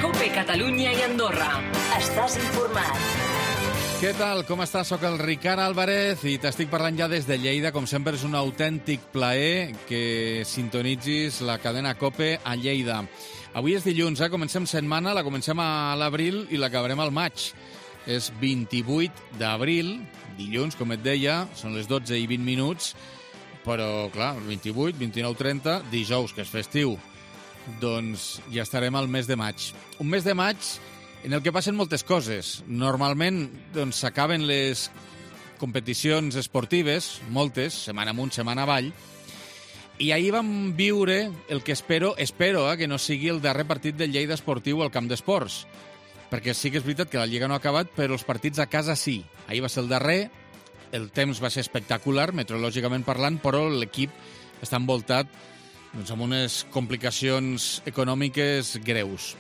COPE Catalunya i Andorra. Estàs informat. Què tal? Com estàs? Soc el Ricard Álvarez i t'estic parlant ja des de Lleida. Com sempre, és un autèntic plaer que sintonitzis la cadena COPE a Lleida. Avui és dilluns, comencem setmana, la comencem a l'abril i l'acabarem al maig. És 28 d'abril, dilluns, com et deia, són les 12 i 20 minuts, però, clar, 28, 29, 30, dijous, que és festiu, doncs ja estarem al mes de maig. Un mes de maig en el que passen moltes coses. Normalment doncs s'acaben les competicions esportives, moltes, setmana amunt, setmana avall, i ahir vam viure el que espero que no sigui el darrer partit del Lleida Esportiu al camp d'esports, perquè sí que és veritat que la Lliga no ha acabat, però els partits a casa sí. Ahir va ser el darrer, el temps va ser espectacular, meteorològicament parlant, però l'equip està envoltat doncs, amb unes complicacions econòmiques greus.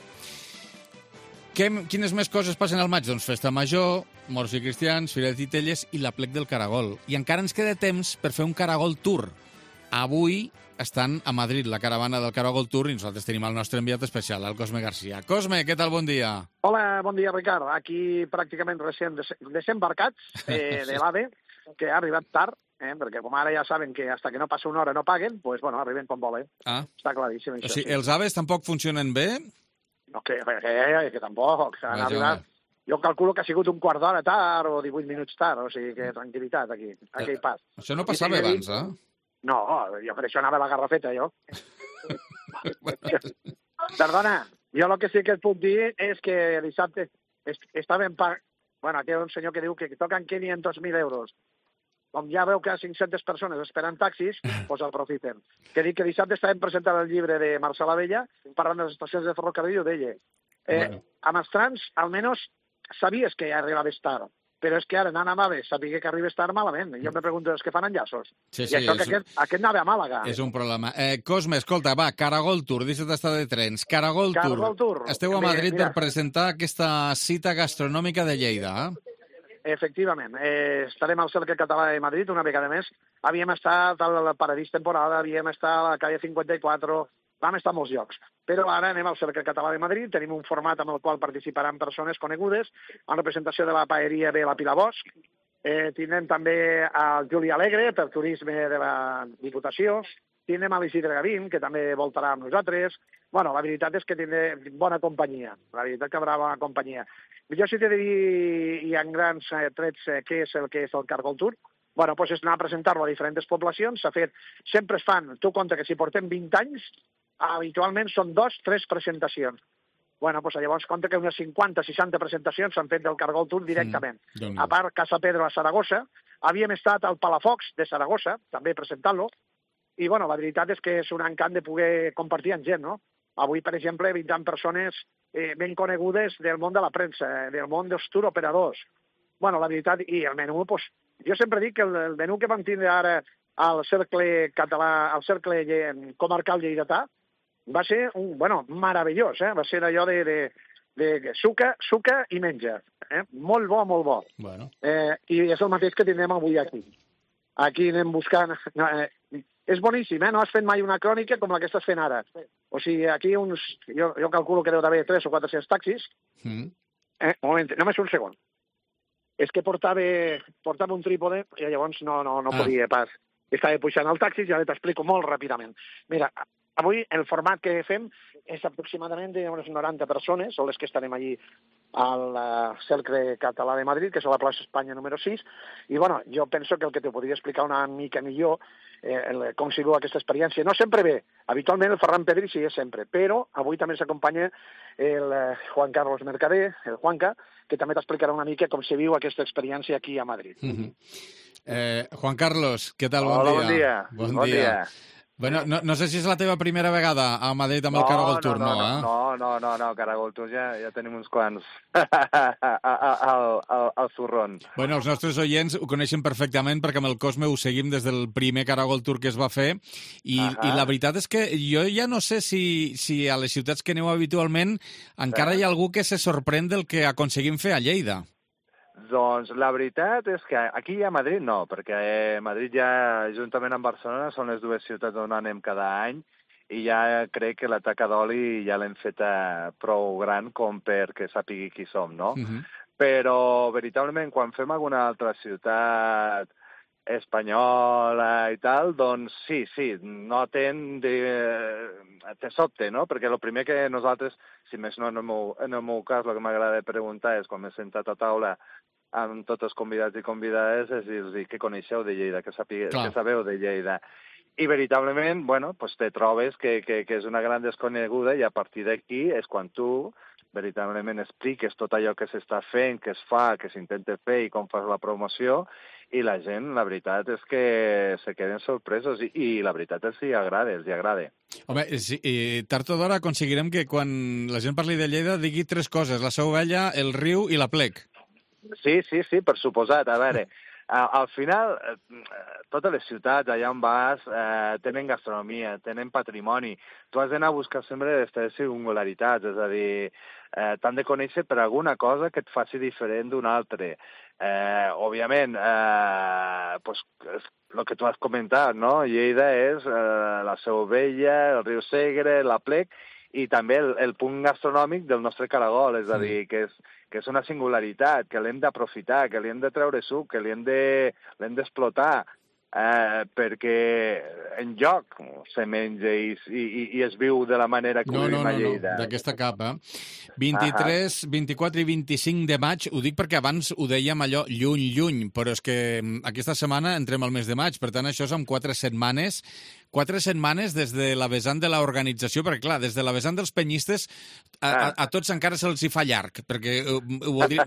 Quines més coses passen al maig? Doncs Festa Major, Morts i Cristians, Fira de Titelles i l'Aplec del Caragol. I encara ens queda temps per fer un Caragol Tour. Avui estan a Madrid la caravana del Caragol Tour i nosaltres tenim el nostre enviat especial, el Cosme Garcia. Cosme, què tal? Bon dia. Hola, bon dia, Ricard. Aquí pràcticament recent desembarcats de l'AVE, que ha arribat tard, perquè com ara ja saben que hasta que no passa una hora no paguen, doncs, bueno, arriben com volen. Està claríssim, això. O sigui, els AVEs tampoc funcionen bé? No, que tampoc. Han arribat. Jo calculo que ha sigut un quart d'hora tard o 18 minuts tard, o sigui que tranquil·litat aquí, aquell pas. Això no passava abans, No, jo per això anava a la Garrafeta, jo. Perdona, jo el que sí que et puc dir és que dissabte estàvem... Bueno, aquí hi ha un senyor que diu que toquen 500.000 euros. Com ja veu que hi ha 500 persones esperant taxis, doncs aprofiten. Que dic que dissabte estàvem presentant el llibre de Marcel Abella, parlant de les estacions de ferrocarril, i ho deia. Amb els trams, almenys, sabies que ja arribaves tard, però és que ara anant a Mave, sabia que arribes tard malament. Jo me pregunto, els que fan enllaços? Sí, I això que aquest anava a Màlaga. És un problema. Cosme, escolta, va, Caragol Tour, deixa't d'estar de trens. Caragol Tour. Esteu a Madrid per presentar aquesta cita gastronòmica de Lleida, Efectivament. Estarem al Cercle Català de Madrid una vegada més. Havíem estat al Paradís Temporada, havíem estat a la calle 54, vam estar a molts llocs. Però ara anem al Cercle Català de Madrid, tenim un format amb el qual participaran persones conegudes, en representació de la paeria de la Pilar Bosch. Tindrem també el Juli Alegre, per turisme de la Diputació. Tindrem l'Isidre Gavín, que també voltarà amb nosaltres. Bueno, la veritat és que tindrem bona companyia. La veritat que haurà bona companyia. Jo sí t'he de dir, i en grans trets, què és el Caragol Tour. Bueno, doncs és anar a presentar-lo a diferents poblacions. S'ha fet, sempre es fan, tu compte que si portem 20 anys, habitualment són 2-3 presentacions. Bueno, doncs llavors compte que unes 50-60 presentacions s'han fet del Caragol Tour directament. A part, Casa Pedro a Saragossa. Havíem estat al Palafox de Saragossa, també presentant-lo. I, bueno, la veritat és que és un encant de poder compartir amb gent, no? Avui, per exemple, 20 persones ben conegudes del món de la premsa, del món dels touroperadors. Bueno, la veritat, i el menú, doncs, jo sempre dic que el menú que vam tindre ara al Cercle Català, al Cercle Comarcal Lleidatà, va ser meravellós, va ser allò de suca i menja. Molt bo, molt bo. Bueno. I és el mateix que tindrem avui aquí. Aquí anem buscant... És boníssim, no has fet mai una crònica com la que estàs fent ara. O sigui, aquí jo calculo que deu d'haver 3 o 400 taxis. Un moment, només un segon. És que portava un trípode i llavors no podia pas. Estava pujant al taxi, ja t'explico molt ràpidament. Mira, avui el format que fem és aproximadament d'unes 90 persones, són les que estarem allí al Cercle Català de Madrid, que és a la plaça Espanya número 6, i bueno, jo penso que el que te podria explicar una mica millor com si veu aquesta experiència. No sempre ve, habitualment el Ferran Pedri sí és sempre, però avui també s'acompanya el Juan Carlos Mercader, el Juanca, que també t'explicarà una mica com se viu aquesta experiència aquí a Madrid. Juan Carlos, què tal? Hola, bon dia. Bon dia. Bueno, no sé si és la teva primera vegada a Madrid amb el Caragol Tour, No, Caragol Tour ja tenim uns quants al zurrón. Bueno, els nostres oients ho coneixen perfectament perquè amb el Cosme ho seguim des del primer Caragol Tour que es va fer i la veritat és que jo ja no sé si a les ciutats que aneu habitualment encara hi ha algú que se sorprèn del que aconseguim fer a Lleida. Doncs la veritat és que aquí a Madrid no, perquè Madrid ja, juntament amb Barcelona, són les dues ciutats on anem cada any i ja crec que la taca d'oli ja l'hem feta prou gran com perquè sàpigui qui som, no? Però, veritablement, quan fem alguna altra ciutat espanyola i tal, doncs sí, noten te sobte, no? Perquè el primer que nosaltres, si més no en el meu cas, el que m'agrada preguntar és quan m'he sentat a taula amb tots els convidats i convidades és dir-los què coneixeu de Lleida, què sabeu de Lleida. I veritablement, bueno, pues te trobes que és una gran desconeguda i a partir d'aquí és quan tu veritablement expliques tot allò que s'està fent, que es fa, que s'intenta fer i com fas la promoció, i la gent, la veritat és que se queden sorpresos i la veritat és que els agrada. Home, tard o d'hora aconseguirem que quan la gent parli de Lleida digui tres coses, la Seu Vella, el riu i la Plec. Sí, per suposat. A veure, al final, totes les ciutats allà on vas tenen gastronomia, tenen patrimoni. Tu has d'anar a buscar sempre les teves singularitats, és a dir, t'han de conèixer per alguna cosa que et faci diferent d'un altre. Òbviament, el que tu has comentat, no? Lleida és la Seu Vella, el riu Segre, la Plec, i també el punt gastronòmic del nostre caragol, és a dir, que és una singularitat, que l'hem d'aprofitar, que li hem de treure suc, que l'hem d'explotar, perquè enlloc se menja i es viu de la manera que ho vivim a Lleida. No, d'aquesta capa. 23, 24 i 25 de maig, ho dic perquè abans ho dèiem allò lluny, però és que aquesta setmana entrem al mes de maig, per tant això és en 4 setmanes des de la vessant de l'organització, perquè clar, des de la vessant dels penyistes a tots encara se'ls hi fa llarg, perquè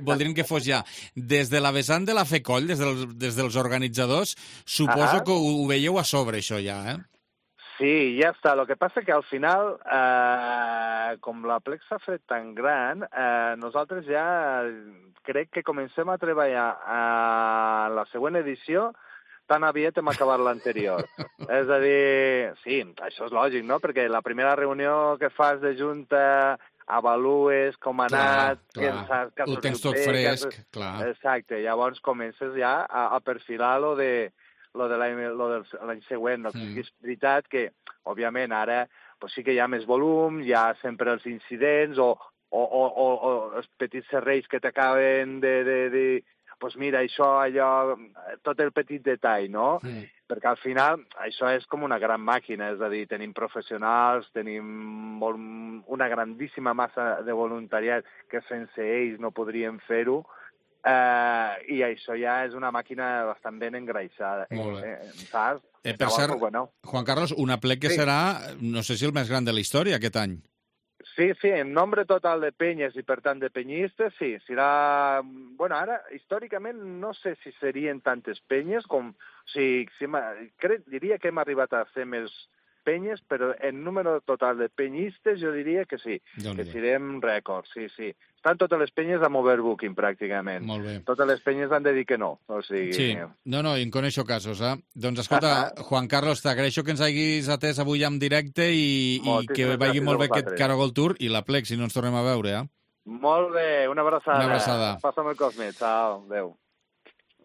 voldrien que fos ja. Des de la vessant de la FECOLL, des dels organitzadors, suposo que ho veieu a sobre, això ja, eh? Sí, ja està. El que passa que al final, com la Plec s'ha fet tan gran, nosaltres ja crec que comencem a treballar a la següent edició tan aviat hem acabat l'anterior. És a dir, sí, això és lògic, no? Perquè la primera reunió que fas de junta avalues com ha anat... Ho tens tot fresc, clar. Exacte, llavors comences ja a perfilar lo de l'any següent. És veritat que, òbviament, ara sí que hi ha més volum, hi ha sempre els incidents o els petits serrells que t'acaben de doncs mira, això, allò, tot el petit detall, no? Perquè al final això és com una gran màquina, és a dir, tenim professionals, tenim una grandíssima massa de voluntariat que sense ells no podríem fer-ho, i això ja és una màquina bastant ben engreixada. Molt bé. Saps? Per cert, Juan Carlos, una Plec que serà, no sé si el més gran de la història aquest any. Sí, en nombre total de penyes i, per tant, de penyistes, sí. Serà... Bueno, ara, històricament, no sé si serien tantes penyes com... O sigui, diria que hem arribat a ser més penyes, però en número total de penyistes jo diria que sí, que serem rècords, sí. Estan totes les penyes amb overbooking, pràcticament. Molt bé. Totes les penyes han de dir que no. O sigui... Sí, no, en coneixo casos, eh? Doncs escolta, Juan Carlos, t'agraeixo que ens hagis atès avui en directe i que vagi molt bé aquest Caragol Tour i la Plec, si no ens tornem a veure, eh? Molt bé, una abraçada. Una abraçada. Passa'm el Cosme, ciao, adéu.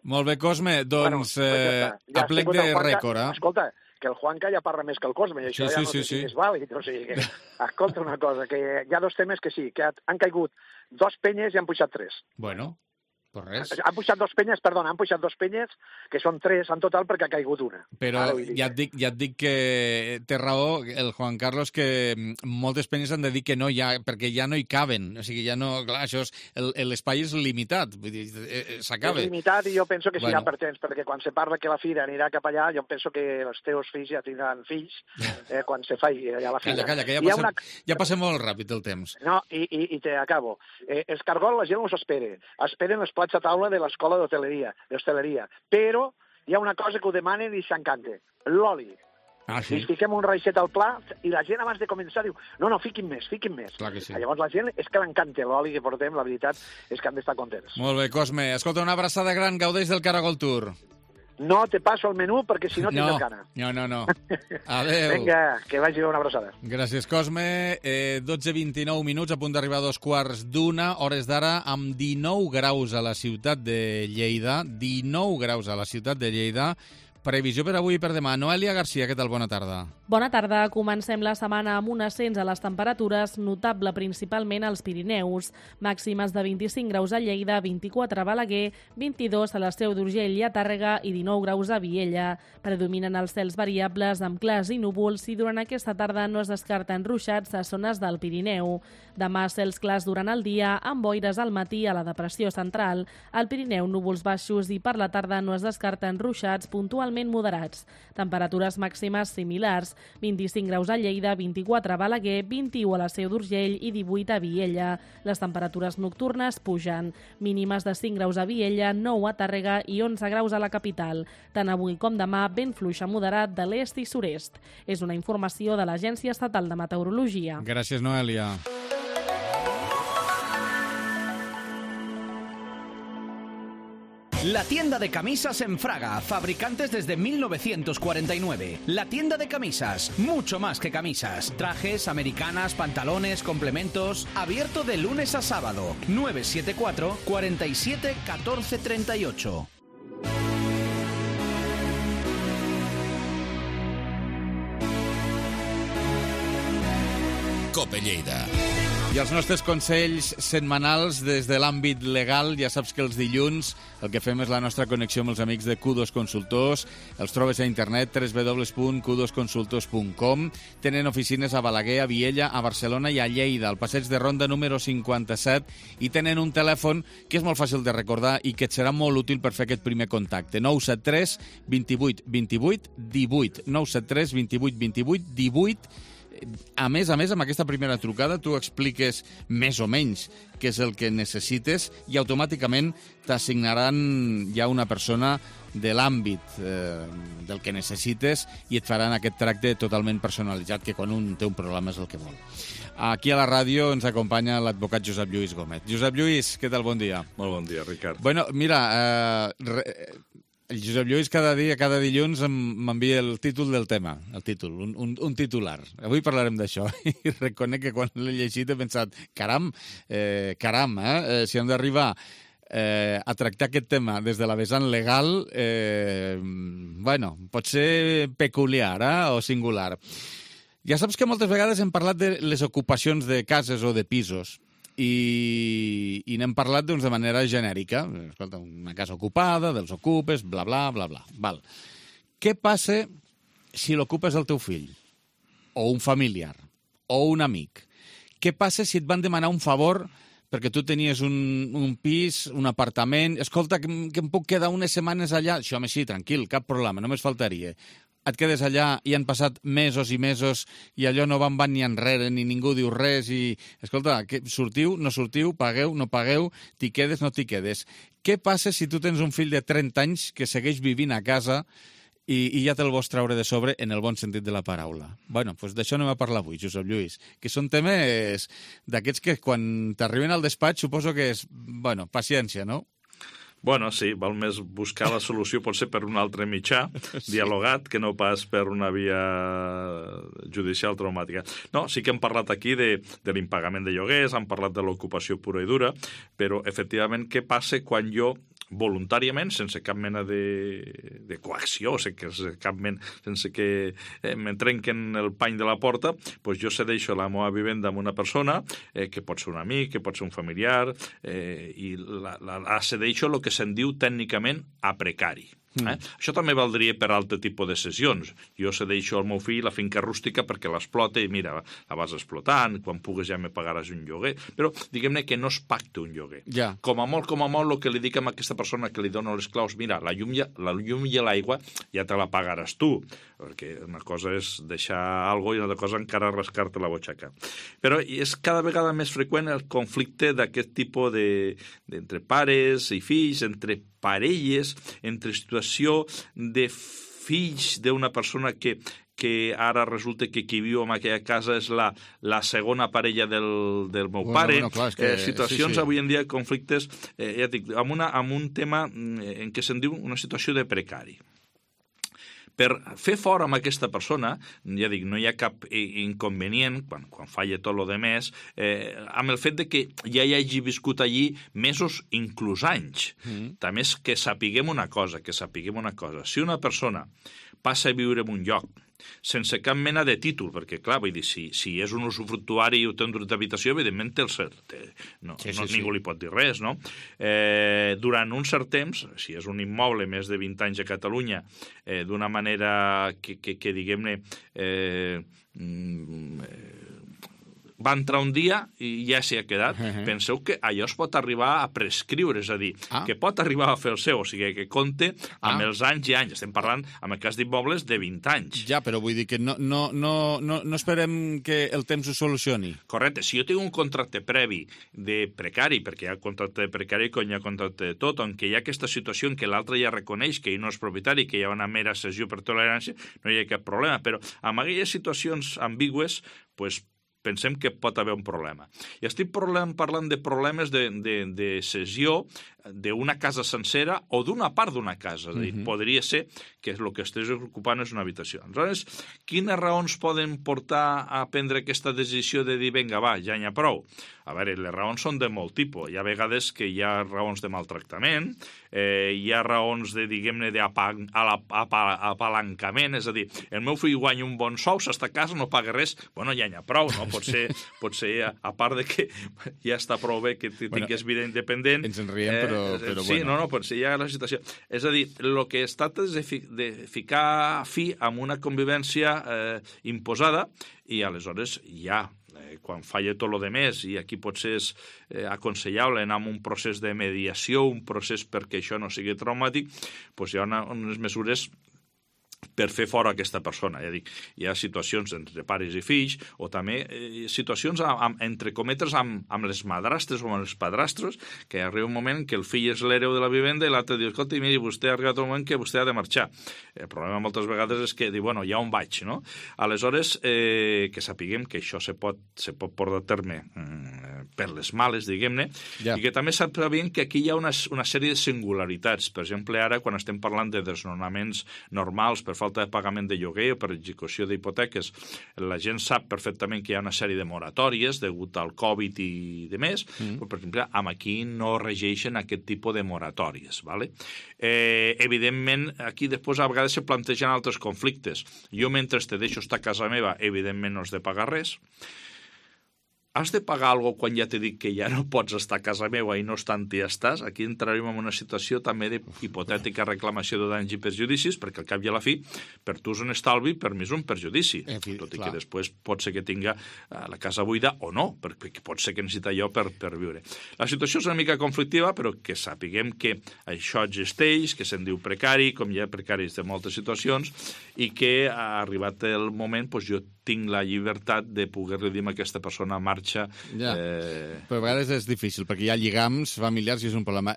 Molt bé, Cosme, doncs a Plec de rècord, eh? Escolta, que el Juanca ja parla més que el Cosme, i això ja no sé si és vàlid. O sigui, escolta una cosa, que hi ha dos temes que sí, que han caigut 2 penyes i han pujat 3. Bueno, pues res. Han pujat 2 penyes, que són 3 en total perquè ha caigut una. Però ja et dic que té raó el Juan Carlos, que moltes penyes han de dir que no, perquè ja no hi caben. O sigui, ja no... Clar, això és... L'espai és limitat, vull dir, s'acaba. És limitat i jo penso que serà per temps, perquè quan se parla que la fira anirà cap allà, jo penso que els teus fills ja tindran fills quan se faci allà la fira. Calla, que ja passem molt ràpid el temps. No, i te acabo. Els cargols la gent els esperen els plats a taula de l'escola d'hostaleria, però hi ha una cosa que ho demanen i s'encanta, l'oli. Sí? I fiquem un raixet al plat i la gent abans de començar diu no, fiquin més. Clar que sí. Llavors la gent és que l'encanta l'oli que portem, la veritat és que han d'estar contents. Molt bé, Cosme. Escolta, una abraçada gran, gaudeix del Caragol Tour. No te passo el menú perquè si no tindràs gana. No. Adéu. Vinga, que vagi bé, una abraçada. Gràcies, Cosme. 12:29 minuts, a punt d'arribar a 2:15, hores d'ara, amb 19 graus a la ciutat de Lleida. 19 graus a la ciutat de Lleida. Previsió per avui i per demà. Noelia Garcia, què tal? Bona tarda. Bona tarda. Comencem la setmana amb un ascens a les temperatures notable principalment als Pirineus. Màximes de 25 graus a Lleida, 24 a Balaguer, 22 a la Seu d'Urgell i a Tàrrega i 19 graus a Viella. Predominen els cels variables amb clars i núvols i durant aquesta tarda no es descarten ruixats a zones del Pirineu. Demà cels clars durant el dia amb boires al matí a la depressió central. Al Pirineu núvols baixos i per la tarda no es descarten ruixats puntualment moderats. Temperatures màximes similars, 25 graus a Lleida, 24 a Balaguer, 21 a la Seu d'Urgell i 18 a Viella. Les temperatures nocturnes pugen, mínimes de 5 graus a Viella, 9 a Tàrrega i 11 graus a la capital. Tant avui com demà, vent fluix a moderat de l'est i sud-est. És una informació de l'Agència Estatal de Meteorologia. Gràcies, Noelia. La tienda de camisas en Fraga, fabricantes desde 1949. La tienda de camisas, mucho más que camisas. Trajes, americanas, pantalones, complementos. Abierto de lunes a sábado. 974 47 14 38. Cope Lleida. I els nostres consells setmanals des de l'àmbit legal. Ja saps que els dilluns el que fem és la nostra connexió amb els amics de Q2 Consultors. Els trobes a internet, www.q2consultors.com. Tenen oficines a Balaguer, a Viella, a Barcelona i a Lleida, al passeig de Ronda número 57, i tenen un telèfon que és molt fàcil de recordar i que et serà molt útil per fer aquest primer contacte. 973 28 28 18. 973 28 28 18. A més, amb aquesta primera trucada tu expliques més o menys què és el que necessites i automàticament t'assignaran ja una persona de l'àmbit del que necessites i et faran aquest tracte totalment personalitzat, que quan un té un problema és el que vol. Aquí a la ràdio ens acompanya l'advocat Josep Lluís Gómez. Josep Lluís, què tal? Bon dia. Molt bon dia, Ricard. Bueno, mira, el Josep Lluís cada dilluns m'envia el títol del tema, un titular. Avui parlarem d'això i reconec que quan l'he llegit he pensat, caram, si hem d'arribar a tractar aquest tema des de la vessant legal, pot ser peculiar o singular. Ja saps que moltes vegades hem parlat de les ocupacions de cases o de pisos, i n'hem parlat de manera genèrica. Escolta, una casa ocupada, dels ocupes, bla, bla, bla, bla. Val. Què passa si l'ocupes el teu fill? O un familiar? O un amic? Què passa si et van demanar un favor perquè tu tenies un pis, un apartament? Escolta, que em puc quedar unes setmanes allà? Això, home, sí, tranquil, cap problema, només faltaria. Et quedes allà i han passat mesos i mesos i allò no van ni enrere, ni ningú diu res i, escolta, sortiu, no sortiu, pagueu, no pagueu, t'hi quedes, no t'hi quedes. Què passa si tu tens un fill de 30 anys que segueix vivint a casa i ja te'l vols treure de sobre en el bon sentit de la paraula? Bueno, doncs d'això anem a parlar avui, Josep Lluís, que són temes d'aquests que quan t'arriben al despatx suposo que és, paciència, no? Bueno, sí, val més buscar la solució potser per un altre mitjà, dialogat, que no pas per una via judicial traumàtica. No, sí que hem parlat aquí de l'impagament de lloguers, hem parlat de l'ocupació pura i dura, però, efectivament, què passa quan jo voluntàriament, sense cap mena de coacció, sense que me trenquen el pany de la porta, doncs jo cedeixo la meva vivenda a una persona, que pot ser un amic, que pot ser un familiar, i la cedeixo el que se'n diu tècnicament a precari. Això també valdria per altre tipus de cessions. Jo cedeixo al meu fill la finca rústica perquè l'explota i mira, la vas explotant, quan pugues ja me pagaràs un lloguer, però diguem-ne que no es pacta un lloguer. Ja. Com a molt, el que li dic a aquesta persona que li dono les claus, mira, la llum i l'aigua ja te la pagaràs tu, perquè una cosa és deixar alguna cosa i una altra cosa encara rascar-te la butxaca. Però és cada vegada més freqüent el conflicte d'aquest tipus entre pares i fills, entre parelles, entre situació de fills d'una persona que ara resulta que qui viu en aquella casa és la segona parella del meu pare. Clar, que, situacions sí. Avui en dia, conflictes, ja dic, amb un tema en què se'n diu una situació de precari. per fer fora amb aquesta persona, ja dic, no hi ha cap inconvenient, quan falla tot lo demés, amb el fet de que ja hi hagi viscut allí mesos, inclús anys. També és que sapiguem una cosa. Si una persona passa a viure en un lloc sense cap mena de títol, perquè, clar, vull dir, si és un usufructuari i ho té un dret d'habitació, evidentment té el cert. Ningú li pot dir res, no? Durant un cert temps, si és un immoble més de 20 anys a Catalunya, d'una manera que diguem-ne, va entrar un dia i ja s'hi ha quedat. Penseu que allò es pot arribar a prescriure, és a dir, que pot arribar a fer el seu, o sigui, que compte amb els anys i anys. Estem parlant, en el cas d'immobles, de 20 anys. Ja, però vull dir que no esperem que el temps ho solucioni. Correcte. Si jo tinc un contracte previ de precari, perquè hi ha contracte de precari quan hi ha contracte de tot, on hi ha aquesta situació en què l'altre ja reconeix que ell no és propietari, que hi ha una mera cessió per tolerància, no hi ha cap problema. Però amb aquelles situacions ambigües, doncs, pensem que pot haver un problema. I estic parlant de problemes de cessió d'una casa sencera o d'una part d'una casa. És a dir, podria ser que el que estigués ocupant és una habitació. Aleshores, quines raons poden portar a prendre aquesta decisió de dir, vinga, va, ja n'hi ha prou? A veure, les raons són de molt tipus. Hi ha vegades que hi ha raons de maltractament, hi ha raons de, diguem-ne, d'apalancament, és a dir, el meu fill guanya un bon sou, s'està a casa, no paga res, bueno, ja n'hi ha prou, no? Potser, a part de que ja està prou bé que tingués vida independent... Ens en riem, però sí, bueno. Potser hi ha la situació. És a dir, el que es tracta és de ficar fi amb una convivència imposada i aleshores ja quan falla tot el demés, i aquí potser és aconsellable anar amb un procés de mediació, un procés perquè això no sigui traumàtic, doncs hi ha unes mesures per fer fora aquesta persona. Ja dic, hi ha situacions entre pares i fills, o també situacions, entre cometes, amb les madrastres o amb els padrastres, que arriba un moment que el fill és l'hereu de la vivenda i l'altre diu, escolta, miri, vostè ha arribat un moment que vostè ha de marxar. El problema moltes vegades és que diu, bueno, ja on vaig, no? Aleshores, que sapiguem que això se pot portar a terme per les males, diguem-ne, i que també sapiguem que aquí hi ha una sèrie de singularitats. Per exemple, ara, quan estem parlant de desnonaments normals per falta de pagament de lloguer o per execució d'hipoteques, la gent sap perfectament que hi ha una sèrie de moratòries degut al Covid i de més, però, per exemple, aquí no regeixen aquest tipus de moratòries. ¿Vale? Evidentment, aquí després a vegades se plantegen altres conflictes. Jo, mentre te deixo estar a casa meva, evidentment no has de pagar res. Has de pagar alguna cosa quan ja t'he dit que ja no pots estar a casa meva i no obstant hi estàs? Aquí entrarem en una situació també d'hipotètica reclamació de danys i perjudicis, perquè al cap i a la fi, per tu és un estalvi, per mi és un perjudici. Tot i que després pot ser que tinga la casa buida o no, perquè pot ser que necessita allò per viure. La situació és una mica conflictiva, però que sapiguem que això existeix, que se'n diu precari, com hi ha precaris de moltes situacions, i que ha arribat el moment, doncs jo tinc la llibertat de poder-li dir a aquesta persona marxa. Ja. Però a vegades és difícil, perquè hi ha lligams familiars i és un problema.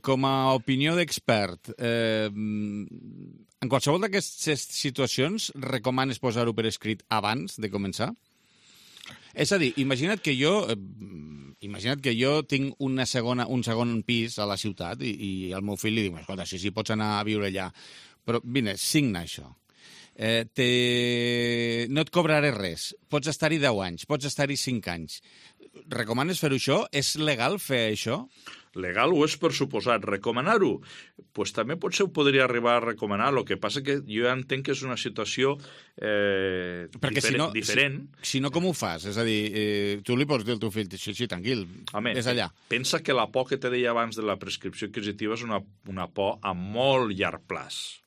Com a opinió d'expert, en qualsevol d'aquestes situacions recomanes posar-ho per escrit abans de començar? És a dir, imagina't que jo tinc un segon pis a la ciutat i al meu fill li diu, escolta, si pots anar a viure allà, però vine, signa això. No et cobraré res. Pots estar-hi 10 anys, pots estar-hi 5 anys. Recomanes fer això? És legal fer això? Legal ho és per suposat. Recomanar-ho? Pues també potser ho podria arribar a recomanar. El que passa que jo ja entenc que és una situació diferent. Si no, com ho fas? És a dir, tu li pots dir al teu fill, sí, tranquil, és allà. Pensa que la por que te deia abans de la prescripció adquisitiva és una por a molt llarg plaç.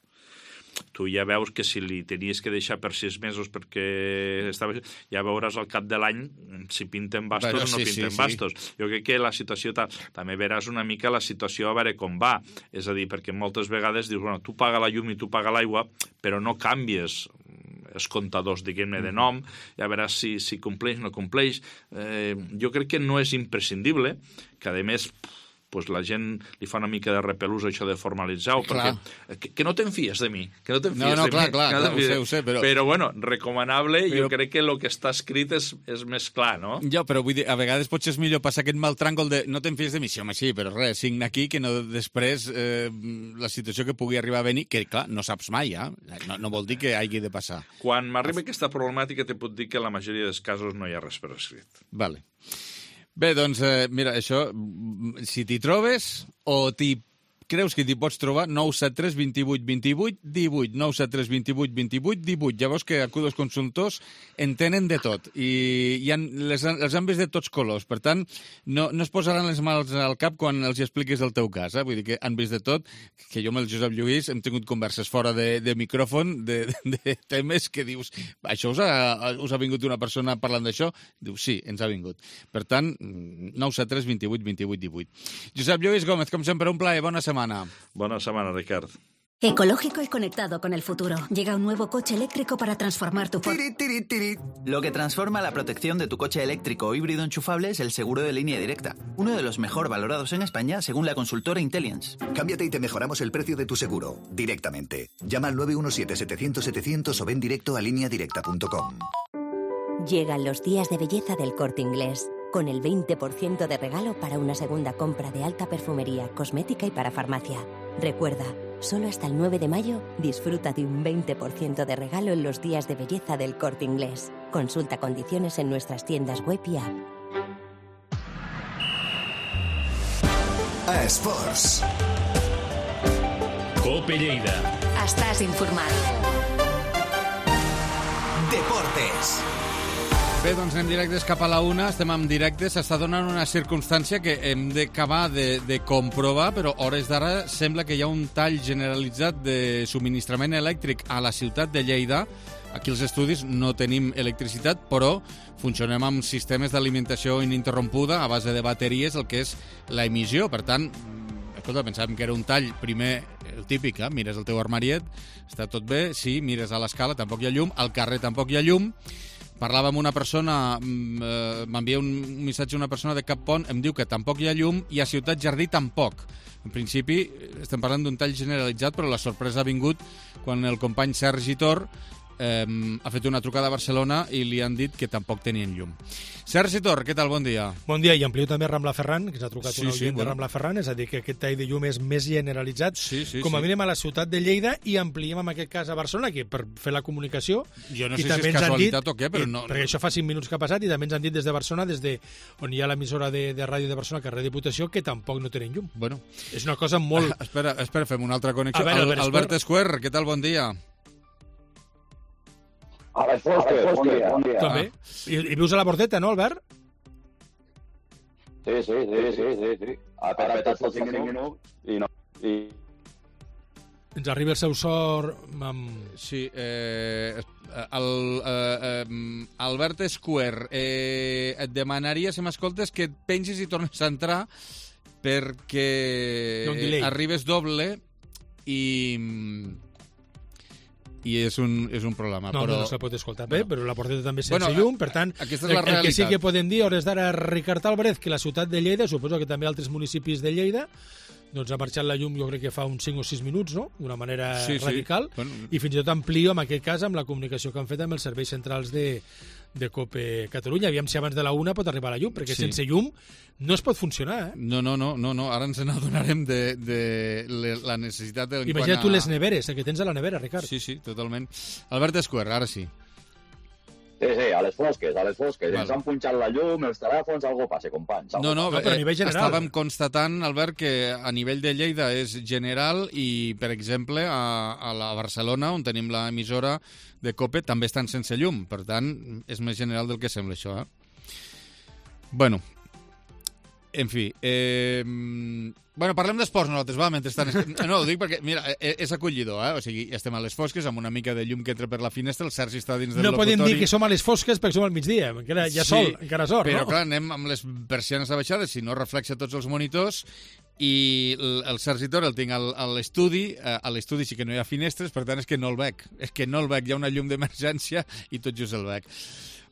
Tu ja veus que si li tenies que deixar per 6 mesos perquè ja veuràs al cap de l'any si pinten bastos o no pinten bastos. Jo crec que la situació també veràs una mica la situació a veure com va. És a dir, perquè moltes vegades dius, bueno, tu paga la llum i tu paga l'aigua, però no canvies els comptadors, diguem-ne, de nom, ja veràs si compleix o no compleix. Jo crec que no és imprescindible, que a més pues la gent li fa una mica de repelús això de formalitzar-ho, perquè que no te'n fies de mi, que no te'n fies de mi. Clar, ho sé, però bueno, recomanable, jo crec que el que està escrit és més clar, no? Ja, però vull dir, a vegades potser és millor passar aquest mal tràngol de no te'n fies de mi, sí, home, sí, però res, signa aquí, que no després la situació que pugui arribar a venir, que clar, no saps mai, no vol dir que hagi de passar. Quan m'arriba aquesta problemàtica te puc dir que en la majoria dels casos no hi ha res per escrit. Vale. Bé, doncs, mira, això, si t'hi trobes o creus que t'hi pots trobar, 973 28 28 18, 973 28 28 18. Ja veus que Acudos Consultors en tenen de tot i els han vist de tots colors. Per tant, no es posaran les mans al cap quan els expliquis el teu cas. Vull dir que han vist de tot, que jo amb el Josep Lluís hem tingut converses fora de micròfon de temes que dius, això us ha vingut una persona parlant d'això? Diu, sí, ens ha vingut. Per tant, 973 28 28 18. Josep Lluís Gómez, com sempre, un plaer, bona setmana. Buena semana, Ricard. Ecológico y conectado con el futuro. Llega un nuevo coche eléctrico para transformar tu... Lo que transforma la protección de tu coche eléctrico o híbrido enchufable es el seguro de línea directa, uno de los mejor valorados en España según la consultora Intellience. Cámbiate y te mejoramos el precio de tu seguro, directamente. Llama al 917-700-700 o ven directo a lineadirecta.com. Llegan los días de belleza del Corte Inglés, con el 20% de regalo para una segunda compra de alta perfumería, cosmética y para farmacia. Recuerda, solo hasta el 9 de mayo disfruta de un 20% de regalo en los días de belleza del Corte Inglés. Consulta condiciones en nuestras tiendas web y app. Esports. Cope Lleida. Estàs informat. Deportes. Bé, doncs anem directes cap a la una, estem en directe, s'està donant una circumstància que hem d'acabar de comprovar, però a hores d'ara sembla que hi ha un tall generalitzat de subministrament elèctric a la ciutat de Lleida. Aquí als estudis no tenim electricitat, però funcionem amb sistemes d'alimentació ininterrompuda a base de bateries, el que és l'emissió. Per tant, escolta, pensàvem que era un tall, primer, el típic, mires el teu armariet, està tot bé, sí, mires a l'escala, tampoc hi ha llum, al carrer tampoc hi ha llum. Parlava amb una persona, m'envia un missatge una persona de Cap Pont, em diu que tampoc hi ha llum i a Ciutat Jardí tampoc. En principi, estem parlant d'un tall generalitzat, però la sorpresa ha vingut quan el company Sergi Tor ha fet una trucada a Barcelona i li han dit que tampoc tenien llum. Sergi Tor, què tal? Bon dia. Bon dia, i amplio també Rambla Ferran, que ens ha trucat un oient de Rambla Ferran, és a dir, que aquest tall de llum és més generalitzat, com a mínim a la ciutat de Lleida, i ampliem en aquest cas a Barcelona, que per fer la comunicació... Jo no sé si és casualitat o què, però no... Perquè això fa 5 minuts que ha passat, i també ens han dit des de Barcelona, des de on hi ha l'emissora de ràdio de Barcelona, carrer Diputació, que tampoc no tenen llum. Bueno. És una cosa molt... Espera, fem una altra connexió. Albert Esquer, què tal? Bon dia. A les fosques, bon dia. Tot bé. I vius a la Bordeta, no, Albert? Sí. Ha petat els 5 minuts i no... Ens arriba el seu sort amb... Sí, Albert Esquer, et demanaria, si m'escoltes, que et pengis i tornes a entrar perquè arribes doble i és un problema. No se pot escoltar bé, però la Bordeta també sense llum, per tant, el que sí que podem dir a hores d'ara, Ricard Álvarez, que la ciutat de Lleida, suposo que també altres municipis de Lleida, doncs ha marxat la llum jo crec que fa uns 5 o 6 minuts, no?, d'una manera radical, i fins i tot amplio en aquest cas amb la comunicació que han fet amb els serveis centrals de Cope Catalunya. Aviam si abans de la 1 pot arribar la llum, perquè sense llum no es pot funcionar, No, ara ens n'adonarem de la necessitat... Imagina't tu les neveres, que tens a la nevera, Ricard. Sí, totalment. Albert Esquer, ara sí. Sí, a les fosques. Ens han punxat la llum, els telèfons, algo passa, companys. No, però a nivell general. Estàvem constatant, Albert, que a nivell de Lleida és general i, per exemple, a la Barcelona, on tenim l'emissora de Cope, també estan sense llum. Per tant, és més general del que sembla això, Bueno, en fi... parlem d'esports nosaltres, va, mentrestant... No, ho dic perquè, mira, és acollidor, O sigui, estem a les fosques, amb una mica de llum que entra per la finestra, el Sergi està dins del locutori... No podem dir que som a les fosques perquè som al migdia, encara hi ha sol, encara sort, però clar, anem amb les persianes abaixades, si no reflexa tots els monitors, i el Sergi Tor el tinc a l'estudi sí que no hi ha finestres, per tant és que no el veig, hi ha una llum d'emergència i tot just el veig.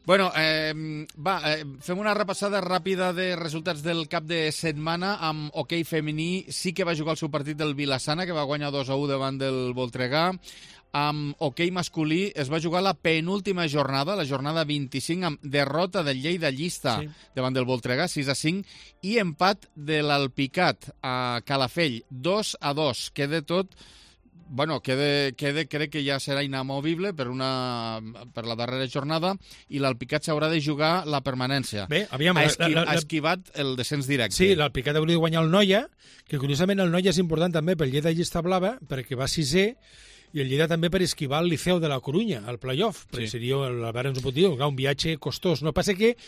Bueno, fem una repassada ràpida de resultats del cap de setmana amb hoquei femení. Sí que va jugar el seu partit del Vilassana, que va guanyar 2-1 davant del Voltregà. Amb hoquei masculí es va jugar la penúltima jornada, la jornada 25, amb derrota del Lleida Llista davant del Voltregà, 6-5, i empat de l'Alpicat a Calafell, 2-2. Queda tot... Bueno, crec que ja serà inamovible per la darrera jornada i l'Alpicat s'haurà de jugar la permanència. Bé, aviam... Ha esquivat el descens directe. Sí, l'Alpicat hauria de guanyar el Noia, que curiosament el Noia és important també pel Lleida Llista Blava, perquè va 6è, i el Lleida també per esquivar el Liceu de la Corunya, al play-off, perquè seria, l'Albert ens ho pot dir, un viatge costós. No passa que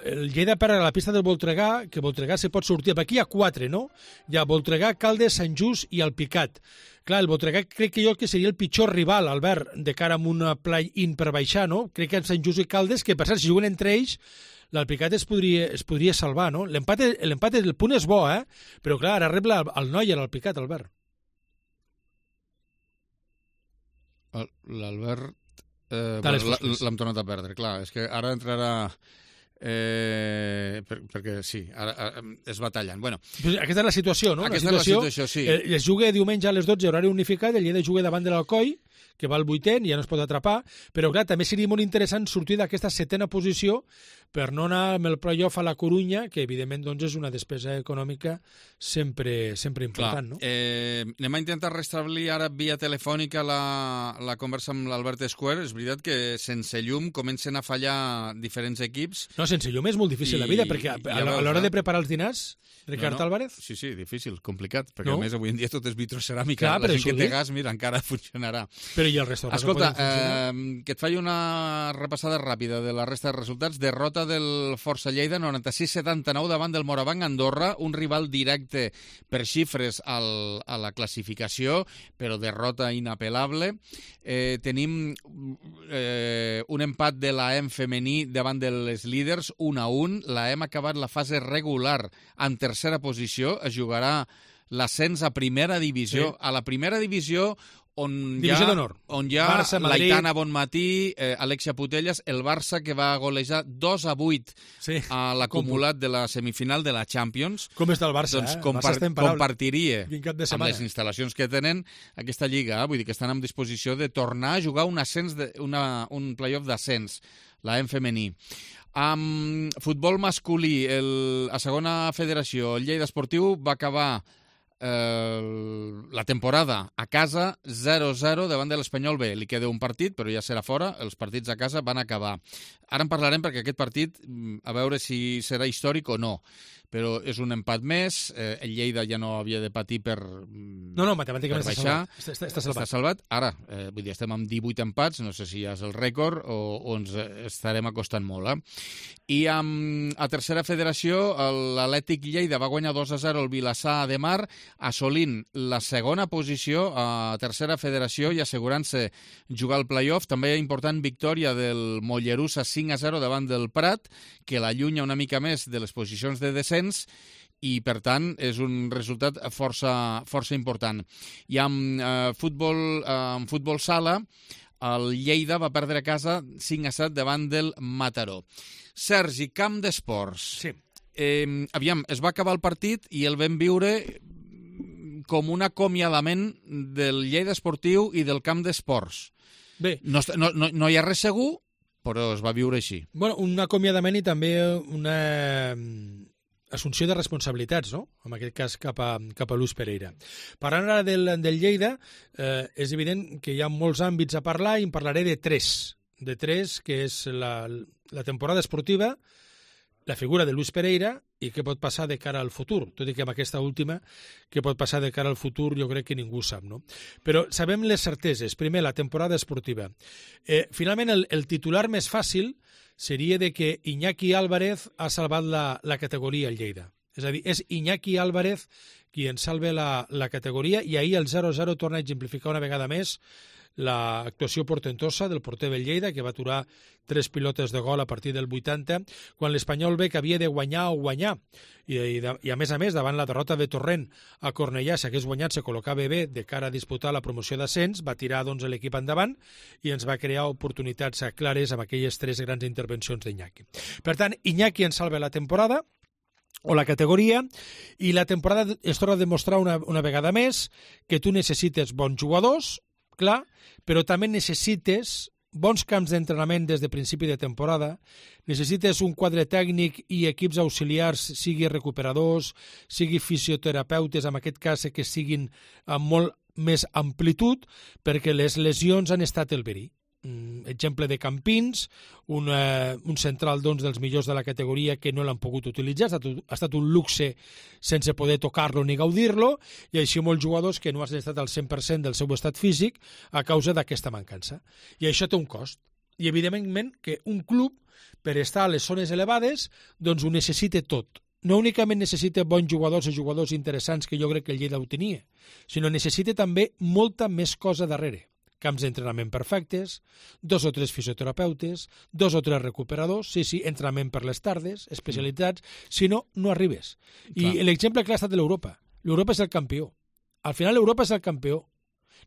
el Lleida per a la pista del Voltregà, que Voltregà se pot sortir. Aquí hi ha 4, no? Hi ha Voltregà, Caldes, Sant Just i Alpicat. Clar, el Voltregà crec que jo que seria el pitjor rival, Albert, de cara a una play-in per baixar, no? Crec que Sant Just i Caldes, que per cert, si juguen entre ells, l'Alpicat es podria salvar, no? L'empat, el punt és bo, però clar, ara rep el Noia, l'Alpicat, Albert. L'Albert l'hem tornat a perdre, clar, és que ara entrarà... perquè sí, ara es va tallant. Bueno, aquesta és la situació, no? Aquesta és la situació, sí. Es juga diumenge a les 12, horari unificat, el Lleida juga davant de l'Alcoi, que va al 8è, ja no es pot atrapar, però clar, també seria molt interessant sortir d'aquesta 7a posició per no anar amb el play-off a la Corunya, que evidentment doncs, és una despesa econòmica sempre important. No? Anem a intentar restablir ara via telefònica la conversa amb l'Albert Escuer. És veritat que sense llum comencen a fallar diferents equips. No, sense llum és molt difícil la vida, perquè a l'hora de preparar els dinars, Ricard Álvarez... Sí, difícil, complicat, perquè a més avui en dia tot és vitroceràmica. La gent que té gas, mira, encara funcionarà. Però i el restaurant? Escolta, que et faci una repassada ràpida de la resta de resultats. Derrota del Força Lleida, 96-79 davant del Morabanc Andorra, un rival directe per xifres a la classificació, però derrota inapel·lable. Tenim un empat de l'AEM femení davant de les líders, 1-1. L'AEM ha acabat la fase regular en tercera posició, es jugarà l'ascens a primera divisió. A la primera divisió on hi ha Barça, l'Aitana Bonmatí, Alexia Putellas, el Barça que va golejar 2-8 a l'acumulat de la semifinal de la Champions. Com està el Barça? Doncs compartiria amb les instal·lacions que tenen aquesta lliga. Vull dir que estan en disposició de tornar a jugar un ascens, un play-off d'ascens, l'AEM femení. Amb futbol masculí, a segona federació, el Lleida Esportiu va acabar la temporada a casa 0-0 davant de l'Espanyol B. Li queda un partit, però ja serà fora. Els partits a casa van acabar. Ara en parlarem perquè aquest partit, a veure si serà històric o no. Però és un empat més. El Lleida ja no havia de patir per matemàticament està salvat. Ara, vull dir, estem amb 18 empats, no sé si ja és el rècord o ens estarem acostant molt. I a tercera federació, l'Atlètic Lleida va guanyar 2-0 el Vilassar de Mar, assolint la segona posició a tercera federació i assegurant-se jugar al play-off. També important victòria del Mollerussa 5-0 davant del Prat, que l'allunya una mica més de les posicions de descens i, per tant, és un resultat força important. I amb futbol sala, el Lleida va perdre a casa 5-7 davant del Mataró. Sergi, camp d'esports. Sí. Aviam, es va acabar el partit i el vam viure com un acomiadament del Lleida Esportiu i del camp d'esports. Bé. No hi ha res segur, però es va viure així. Bueno, un acomiadament i també una assumpció de responsabilitats, no? En aquest cas cap a Luis Pereira. Parlant ara del Lleida, és evident que hi ha molts àmbits a parlar i en parlaré de tres. De tres, que és la temporada esportiva, la figura de Luis Pereira i què pot passar de cara al futur. Tot i que amb aquesta última, què pot passar de cara al futur, jo crec que ningú sap, no? Però sabem les certeses. Primer, la temporada esportiva. Finalment, el titular més fàcil seria de que Iñaki Álvarez ha salvat la categoria al Lleida. És a dir, és Iñaki Álvarez qui en salva la categoria i ahir el 0-0 torna a exemplificar una vegada més l'actuació portentosa del porter del Lleida, que va aturar 3 pilotes de gol a partir del 80, quan l'Espanyol ve que havia de guanyar o guanyar. I a més, davant la derrota de Torrent a Cornellà, si hagués guanyat, se col·locava bé de cara a disputar la promoció d'ascens, va tirar l'equip endavant i ens va crear oportunitats clares amb aquelles 3 grans intervencions d'Iñaki. Per tant, Iñaki ens salva la temporada, o la categoria, i la temporada es torna a demostrar una vegada més que tu necessites bons jugadors, clar, però també necessites bons camps d'entrenament des de principi de temporada, necessites un quadre tècnic i equips auxiliars, sigui recuperadors, sigui fisioterapeutes, en aquest cas que siguin amb molt més amplitud, perquè les lesions han estat el verí. Exemple de Campins, un central dels millors de la categoria que no l'han pogut utilitzar, ha estat un luxe sense poder tocar-lo ni gaudir-lo, i així molts jugadors que no han estat al 100% del seu estat físic a causa d'aquesta mancança. I això té un cost. I evidentment que un club, per estar a les zones elevades, doncs ho necessita tot. No únicament necessita bons jugadors o jugadors interessants, que jo crec que el Lleida ho tenia, sinó necessita també molta més cosa darrere. Camps d'entrenament perfectes, 2 o 3 fisioterapeutes, 2 o 3 recuperadors, sí, entrenament per les tardes, especialitzats, si no, no arribes. I l'exemple clar ha estat de l'Europa. L'Europa és el campió. Al final l'Europa és el campió.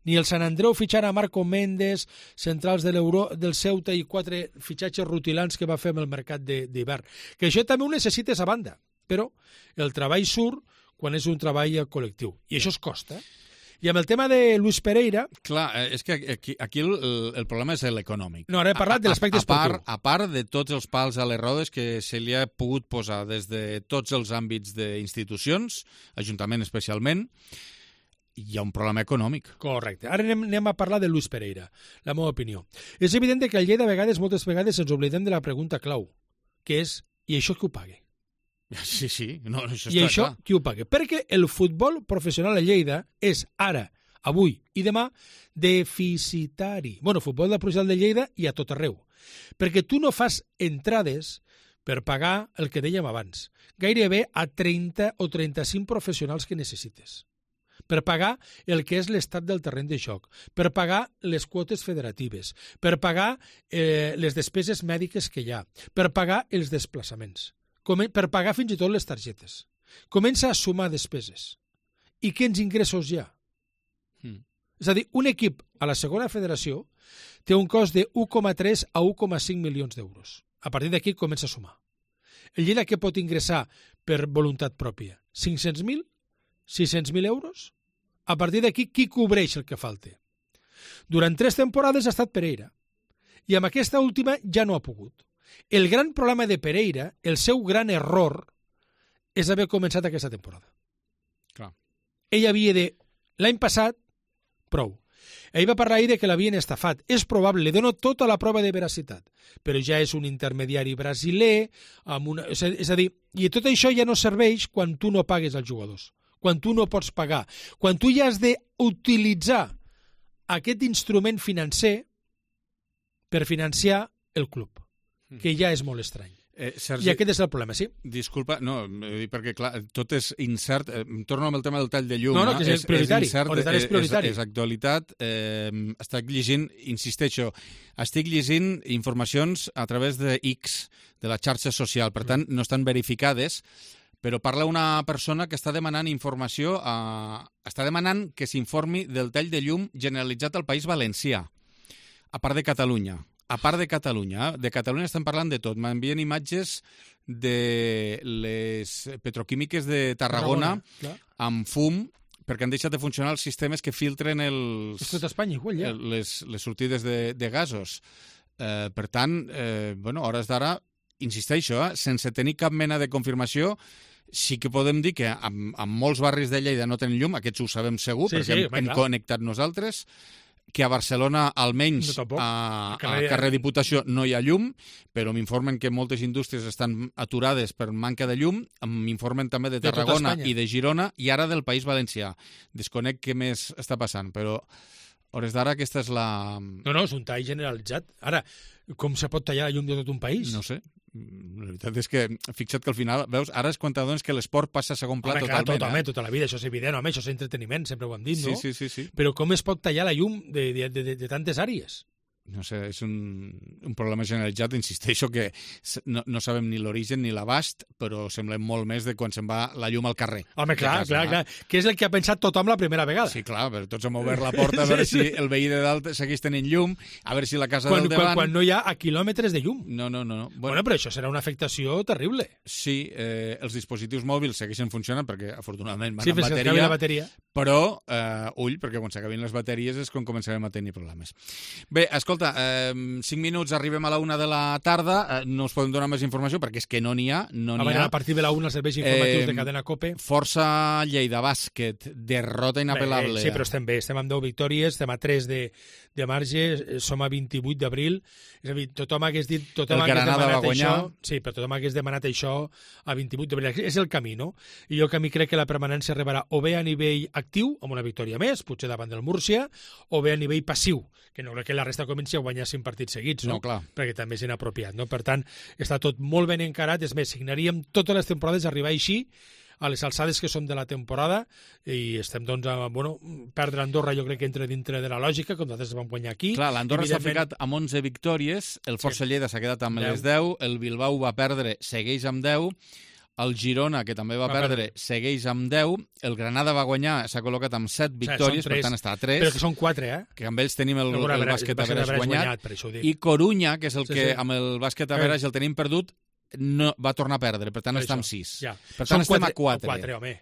Ni el Sant Andreu fitxar a Marco Méndez, centrals del Ceuta i 4 fitxatges rutilants que va fer amb el mercat d'hivern. Que això també ho necessites a banda, però el treball surt quan és un treball col·lectiu. I això es costa, I amb el tema de Luis Pereira... Clar, és que aquí el problema és l'econòmic. No, ara he parlat de l'aspecte esportiu. A part de tots els pals a les rodes que se li ha pogut posar des de tots els àmbits d'institucions, Ajuntament especialment, hi ha un problema econòmic. Correcte. Ara anem a parlar de Luis Pereira, la meva opinió. És evident que al Lleida moltes vegades ens oblidem de la pregunta clau, que és, i això qui ho paga? Sí, no, això està clar. I això qui ho paga? Perquè el futbol professional a Lleida és ara, avui i demà, deficitari. Bueno, futbol professional de Lleida i a tot arreu. Perquè tu no fas entrades per pagar el que dèiem abans. Gairebé a 30 o 35 professionals que necessites. Per pagar el que és l'estat del terreny de joc, per pagar les quotes federatives, per pagar les despeses mèdiques que hi ha, per pagar els desplaçaments, per pagar fins i tot les targetes. Comença a sumar despeses. I quins ingressos hi ha? És a dir, un equip a la segona federació té un cost de 1,3 a 1,5 milions d'euros. A partir d'aquí comença a sumar. El Lleida què pot ingressar per voluntat pròpia? 500.000? 600.000 euros? A partir d'aquí, qui cobreix el que falta? Durant 3 temporades ha estat Pereira. I amb aquesta última ja no ha pogut. El gran problema de Pereira, el seu gran error, és haver començat aquesta temporada. Clar. Ell havia de... L'any passat, prou. Ell va parlar ahir que l'havien estafat. És probable, li dono tota la prova de veracitat. Però ja és un intermediari brasiler, és a dir, i tot això ja no serveix quan tu no pagues als jugadors, quan tu no pots pagar, quan tu ja has d'utilitzar aquest instrument financer per financiar el club, que ja és molt estrany. Sergi, I aquest és el problema, sí? Disculpa, no, perquè clar, tot és incert. Torno amb el tema del tall de llum. No, que és prioritari. És prioritari. És actualitat. Estic llegint, insisteixo, estic llegint informacions a través de X, de la xarxa social, per tant, no estan verificades, però parla una persona que està demanant informació, està demanant que s'informi del tall de llum generalitzat al País Valencià, a part de Catalunya. A part de Catalunya estem parlant de tot. M'envien imatges de les petroquímiques de Tarragona amb fum, perquè han deixat de funcionar els sistemes que filtren És tot Espanya, igual, ja. les sortides de gasos. Per tant, a hores d'ara, insisteixo, sense tenir cap mena de confirmació, sí que podem dir que en molts barris de Lleida no tenen llum, aquests ho sabem segur, perquè hem connectat nosaltres, que a Barcelona, almenys a carrer Diputació, no hi ha llum, però m'informen que moltes indústries estan aturades per manca de llum, m'informen també de Tarragona i de Girona, i ara del País Valencià. Desconec què més està passant, però a hores d'ara aquesta és la... No, és un tall generalitzat. Ara, com se pot tallar la llum de tot un país? No sé. La veritat és que, fixa't que al final, veus, ara és quan t'adones que l'esport passa a segon pla totalment. Tota la vida, això és evident, home, això és entreteniment, sempre ho hem dit, no? Sí. Però com es pot tallar la llum de tantes àrees? No sé, és un problema generalitzat, insisteixo que no sabem ni l'origen ni l'abast, però semblem molt més de quan se'n va la llum al carrer. Home, clar, que és el que ha pensat tothom la primera vegada. Sí, clar, però tots hem obert la porta a veure si el veí de dalt segueix tenint llum, a veure si la casa del davant... Quan no hi ha a quilòmetres de llum. No. Bueno, però això serà una afectació terrible. Sí, els dispositius mòbils segueixen funcionant perquè, afortunadament, van amb bateria. Però, ull, perquè quan s'acabin les bateries és quan començarem a tenir problemes. Bé, escolta, 5 minuts, arribem a la 1 de la tarda, no us podem donar més informació perquè és que no n'hi ha. A partir de la 1 els serveis informatius de Cadena COPE. Força Lleida Bàsquet, derrota inapel·lable. Sí, però estem bé, estem amb 10 victòries, estem a 3 de marge, som a 28 d'abril, és a dir, tothom hagués dit... El Granada va guanyar. Sí, però tothom hagués demanat això a 28 d'abril. És el camí, no? I jo que a mi crec que la permanència arribarà o bé a nivell actiu, amb una victòria més, potser davant del Múrcia, o bé a nivell passiu, que no crec que la resta comenci a guanyar 5 partits seguits, no? No, clar. Perquè també és inapropiat, no? Per tant, està tot molt ben encarat, és més, signaríem totes les temporades arribar així, a les alçades que són de la temporada, i estem, doncs, perdre Andorra jo crec que entra dintre de la lògica, com nosaltres vam guanyar aquí. Clar, l'Andorra s'ha ficat amb 11 victòries, el Força Lleida s'ha quedat amb les 10, el Bilbao va perdre, segueix amb 10, el Girona, que també va perdre, segueix amb 10, el Granada va guanyar, s'ha col·locat amb 7 victòries, per tant està a 3. Però que són 4, Que amb ells tenim el bàsquet Average guanyat, i Corunya, que és el que amb el bàsquet Average el tenim perdut, no, va tornar a perdre, per tant està amb 6. Per tant estem a 4. 4, home.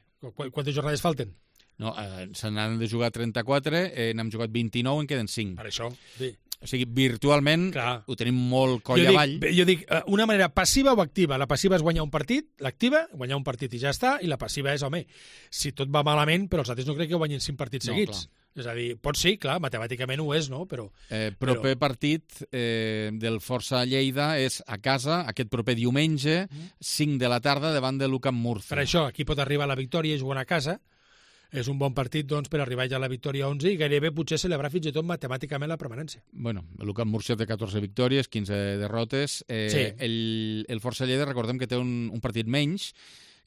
Quantes jornades falten? No, se n'han de jugar 34, n'hem jugat 29, en queden 5. Per això, sí. O sigui, virtualment ho tenim molt coll avall. Jo dic, una manera passiva o activa. La passiva és guanyar un partit, l'activa, guanyar un partit i ja està, i la passiva és, home, si tot va malament, però els altres no crec que guanyin 5 partits seguits. Clar. És a dir, pot ser, clar, matemàticament ho és, no? Però proper partit del Força Lleida és a casa, aquest proper diumenge, 5 de la tarda, davant de l'UCAM Murcia. Per això, aquí pot arribar la victòria i jugant a casa. És un bon partit, doncs, per arribar ja a la victòria 11 i gairebé potser celebrar fins i tot matemàticament la permanència. Bueno, l'UCAM Murcia té 14 victòries, 15 derrotes. Sí. El Força Lleida, recordem que té un partit menys,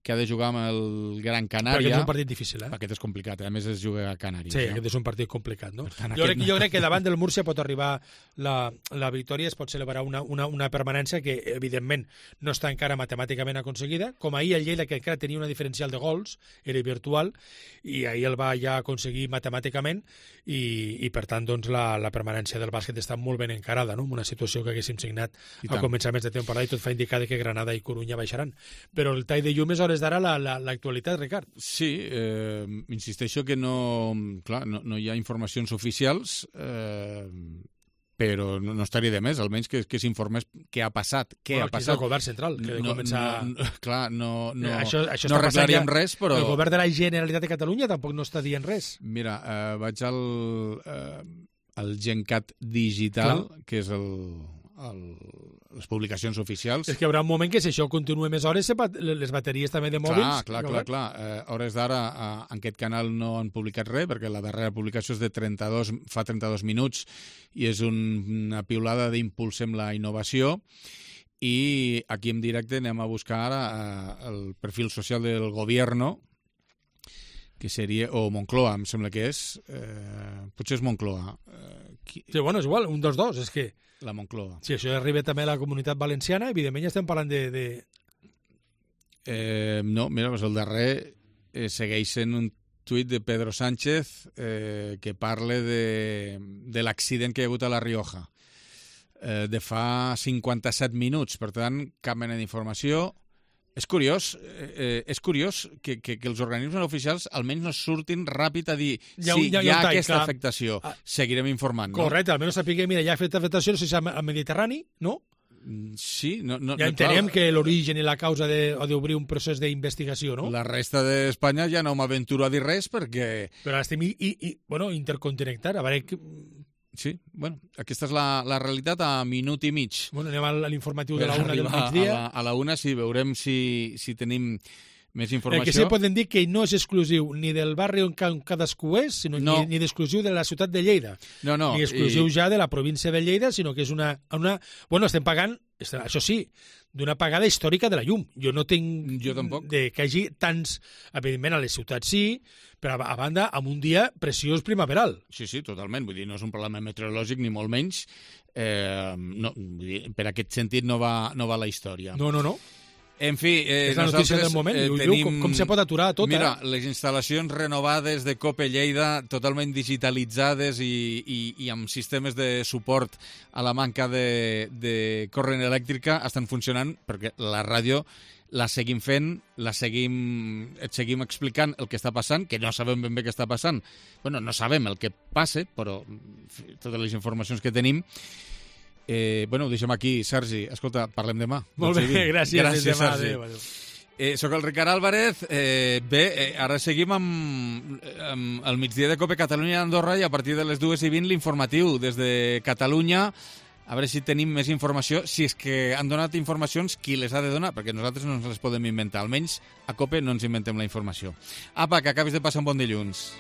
que ha de jugar amb el Gran Canària. Però aquest és un partit difícil, Aquest és complicat, a més es juga a Canàries. Sí, aquest és un partit complicat, no? Jo crec que davant del Múrcia pot arribar la victòria, es pot celebrar una permanència que, evidentment, no està encara matemàticament aconseguida, com ahir el Lleida, que encara tenia una diferencial de gols, era virtual, i ahir el va ja aconseguir matemàticament, i per tant, doncs, la permanència del bàsquet està molt ben encarada, no? Una situació que haguéssim signat al començament de temporada i tot fa indicar que Granada i Corunya baixaran. Però el tall de llum és hores d'ara l'actualitat, Ricard. Sí, insisteixo que no hi ha informacions oficials, però no estaria de més, almenys que s'informés què ha passat. Ha passat el govern central, que de començar... Clar, no arreglaríem res, però... El govern de la Generalitat de Catalunya tampoc no està dient res. Mira, vaig al Gencat Digital, que és les publicacions oficials. És que hi haurà un moment que si això continua més hores, les bateries també de mòbils... Clar. A hores d'ara en aquest canal no han publicat res, perquè la darrera publicació és de fa 32 minuts i és una piulada d'impulsem la innovació, i aquí en directe anem a buscar ara el perfil social del Gobierno, que seria, o Moncloa, em sembla que és, potser és Moncloa. Sí, bueno, és igual, un dels dos, és que... La Moncloa. Si això arriba també a la Comunitat Valenciana, evidentment ja estem parlant de... No, mira, el darrer segueix sent un tuit de Pedro Sánchez que parla de l'accident que hi ha hagut a La Rioja de fa 57 minuts, per tant, cap mena d'informació. És curiós que els organismes oficials almenys no surtin ràpid a dir hi ha aquesta afectació, seguirem informant. Correcte, almenys sapiguem, mira, hi ha aquesta afectació, no sé si al Mediterrani, no? Sí, ja entenem que l'origen i la causa ha d'obrir un procés d'investigació, no? La resta d'Espanya ja no m'aventuro a dir res perquè... Però estem interconnectats, a veure... Sí, bueno, aquesta és la realitat a minut i mig. Bueno, anem a l'informatiu de la 1 del migdia. A la 1 sí, veurem si tenim més informació. El que sí podem dir que no és exclusiu ni del barri on cadascú és, sinó ni d'exclusiu de la ciutat de Lleida. No. Ni exclusiu ja de la província de Lleida, sinó que és una... Bueno, estem pagant això sí, d'una apagada històrica de la llum. Jo no tinc... Jo tampoc. Que hi hagi tants... Evidentment, a les ciutats sí, però a banda, amb un dia preciós primaveral. Sí, totalment. Vull dir, no és un problema meteorològic, ni molt menys. No, vull dir, per aquest sentit no va la història. No. En fi, és la notícia del moment. Tenim... Com se pot aturar tot, Mira, les instal·lacions renovades de Cope Lleida, totalment digitalitzades i amb sistemes de suport a la manca de corrent elèctrica, estan funcionant perquè la ràdio la seguim fent, et seguim explicant el que està passant, que no sabem ben bé què està passant. Bueno, no sabem el que passa, però totes les informacions que tenim... Ho deixem aquí, Sergi. Escolta, parlem demà. Molt bé, gràcies demà, Sergi. Adéu. Soc el Ricard Álvarez. Ara seguim amb el migdia de Cope Catalunya Andorra i a partir de les 2:20 l'informatiu des de Catalunya. A veure si tenim més informació, si és que han donat informacions, qui les ha de donar, perquè nosaltres no ens les podem inventar. Almenys a Cope no ens inventem la informació. Apa, que acabis de passar un bon dilluns.